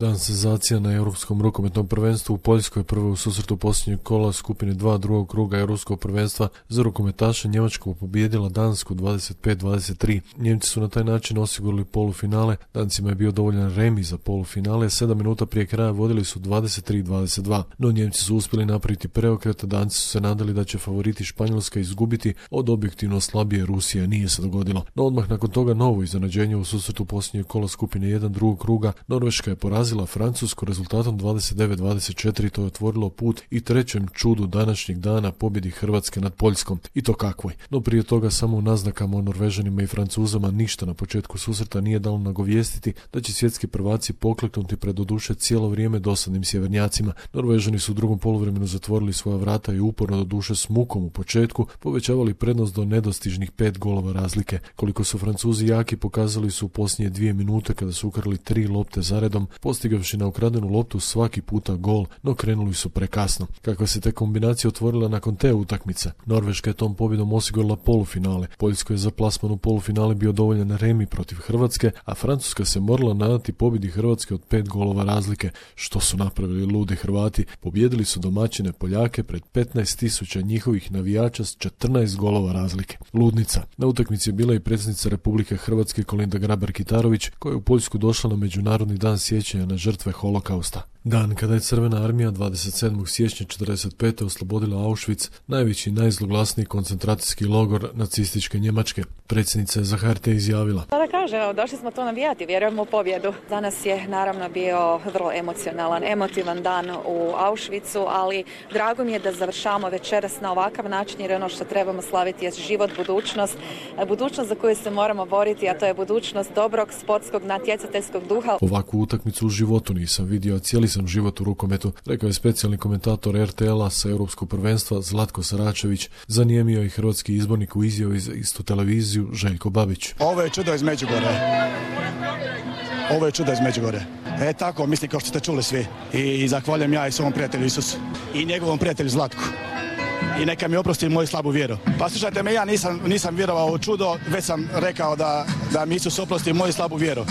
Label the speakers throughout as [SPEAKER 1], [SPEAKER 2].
[SPEAKER 1] Dan senzacija na Europskom rukometnom prvenstvu u Poljskoj, prvo u susretu posljednjeg kola skupine 2 drugog kruga Europskog prvenstva za rukometaše. Njemačka pobijedila Dansku 25-23. Njemci su na taj način osigurali polufinale, Dancima je bio dovoljan remi za polufinale, 7 minuta prije kraja vodili su 23-22. No Njemci su uspjeli napraviti preokret, Danci su se nadali da će favoriti Španjolska izgubiti od objektivno slabije Rusije, nije se dogodilo. No odmah nakon toga novo iznenađenje u susretu posljednjeg kola skupine 1 drugog kruga, Norveška je porazila Francusku rezultatom 29-24, to je otvorilo put i trećem čudu današnjeg dana, pobjedi Hrvatske nad Poljskom. I to kakvoj. No prije toga samo u naznakama o Norvežanima i Francuzama ništa na početku susreta nije dalo nagovijestiti da će svjetski prvaci pokleknuti pred doduše cijelo vrijeme dosadnim sjevernjacima. Norvežani su u drugom poluvremenu zatvorili svoja vrata i uporno doduše s mukom u početku povećavali prednost do nedostižnih 5 golova razlike. Koliko su Francuzi jaki pokazali su u posljednje 2 minute kada su ukrali 3 lopte zaredom, postigavši na ukradenu loptu svaki puta gol, no krenuli su prekasno. Kakva se te kombinacija otvorila nakon te utakmice? Norveška je tom pobjedom osigurala polufinale. Poljskoj je za plasman u polufinale bio dovoljan remi protiv Hrvatske, a Francuska se morala nadati pobjedi Hrvatske od 5 golova razlike. Što su napravili ludi Hrvati? Pobijedili su domaćine Poljake pred 15.000 njihovih navijača s 14 golova razlike. Ludnica. Na utakmici je bila i predsjednica Republike Hrvatske Kolinda Grabar-Kitarović, koja je u Poljsku došla na Međunarodni dan sjećanja na žrtve holokausta. Dan kada je Crvena armija 27. siječnja 1945. oslobodila Auschwitz, najveći i najzloglasniji koncentracijski logor nacističke Njemačke. Predsjednica je za HRT izjavila:
[SPEAKER 2] Da kaže, došli smo to navijati, vjerujemo u pobjedu. Danas je naravno bio vrlo emotivan dan u Auschwitzu, ali drago mi je da završavamo večeras na ovakav način, jer ono što trebamo slaviti je život, budućnost za koju se moramo boriti, a to je budućnost dobrog sportskog natjecateljskog duha.
[SPEAKER 1] Ovakvu utakmicu u životu nisam vidio, cijeli sam život u rukometu, rekao je specijalni komentator RTL-a sa Europskog prvenstva Zlatko Saračević. Zanijemio i hrvatski izbornik u izjavi za istu televiziju Željko Babić.
[SPEAKER 3] Ovo je čudo iz Međugorja. Tako, mislim kao što ste čuli svi. I zahvaljujem ja i svom prijatelju Isusu i njegovom prijatelju Zlatku. I neka mi oprosti moju slabu vjeru. Pa slušajte me, ja nisam vjerovao u čudo, već sam rekao da mi Isus oprosti moju slabu vjeru.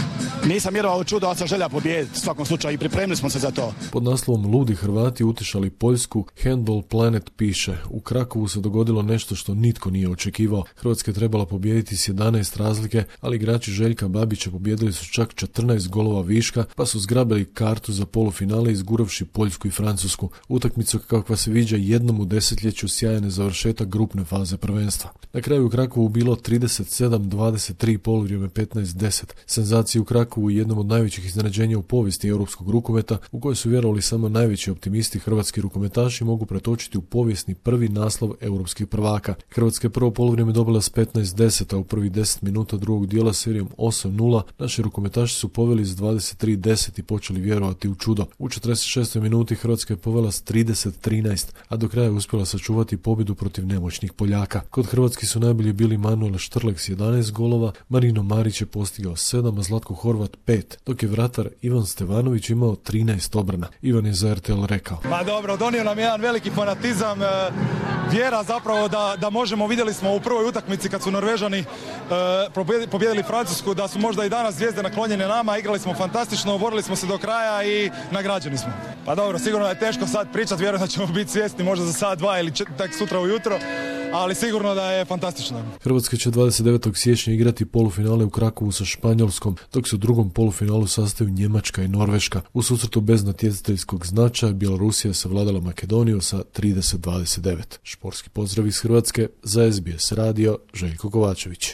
[SPEAKER 3] Nisam vjerovao u čudo, ali sam želja pobijediti u svakom slučaju i pripremili smo se za to.
[SPEAKER 1] Pod naslovom Ludi Hrvati utišali Poljsku, Handball Planet piše: u Krakovu se dogodilo nešto što nitko nije očekivao. Hrvatska je trebala pobijediti s 11 razlike, ali igrači Željka Babića pobijedili su čak 14 golova viška, pa su zgrabili kartu za polufinale izguravši Poljsku i Francusku. Utakmicu kakva se viđa jednom u desetljeću, sjajan je završetak grupne faze prvenstva. Na kraju u Krakovu bilo 37-23, poluvrijeme 15-10. Senzacija u Krakovu, jednom od najvećih iznenađenja u povijesti europskog rukometa, u kojoj su vjerovali samo najveći optimisti, hrvatski rukometaši mogu pretočiti u povijesni prvi naslov europskih prvaka. Hrvatska je prvo poluvrijeme dobila s 15-10, a u prvih 10 minuta drugog dijela serijom 8-0 naši rukometaši su poveli s 23-10 i počeli vjerovati u čudo. U 46. minuti Hrvatska je povela s 30-13, a do kraja je uspjela sačuvati pobjedu protiv nemoćnih Poljaka. Kod Hrvatski su najbolji bili Manuel Štrlek s 11 golova, Marino Marić je postigao 7, a Zlatko Horvat 5, dok je vratar Ivan Stevanović imao 13 obrana. Ivan je za RTL rekao:
[SPEAKER 4] Ma dobro, donio nam jedan veliki fanatizam, vjera zapravo da možemo, vidjeli smo u prvoj utakmici kad su Norvežani pobijedili Francusku, da su možda i danas zvijezde naklonjene nama, igrali smo fantastično, borili smo se do kraja i nagrađeni smo. Pa dobro, sigurno je teško sad pričati, vjerujem da ćemo biti svjesni možda za sat, dva ili tak sutra ujutro, ali sigurno da je fantastično.
[SPEAKER 1] Hrvatska će 29. siječnja igrati polufinale u Krakovu sa Španjolskom, dok se u drugom polufinalu sastaju Njemačka i Norveška. U susretu bez natjecateljskog značaja Bjelorusija savladala Makedoniju sa 30-29. Športski pozdrav iz Hrvatske, za SBS radio, Željko Kovačević.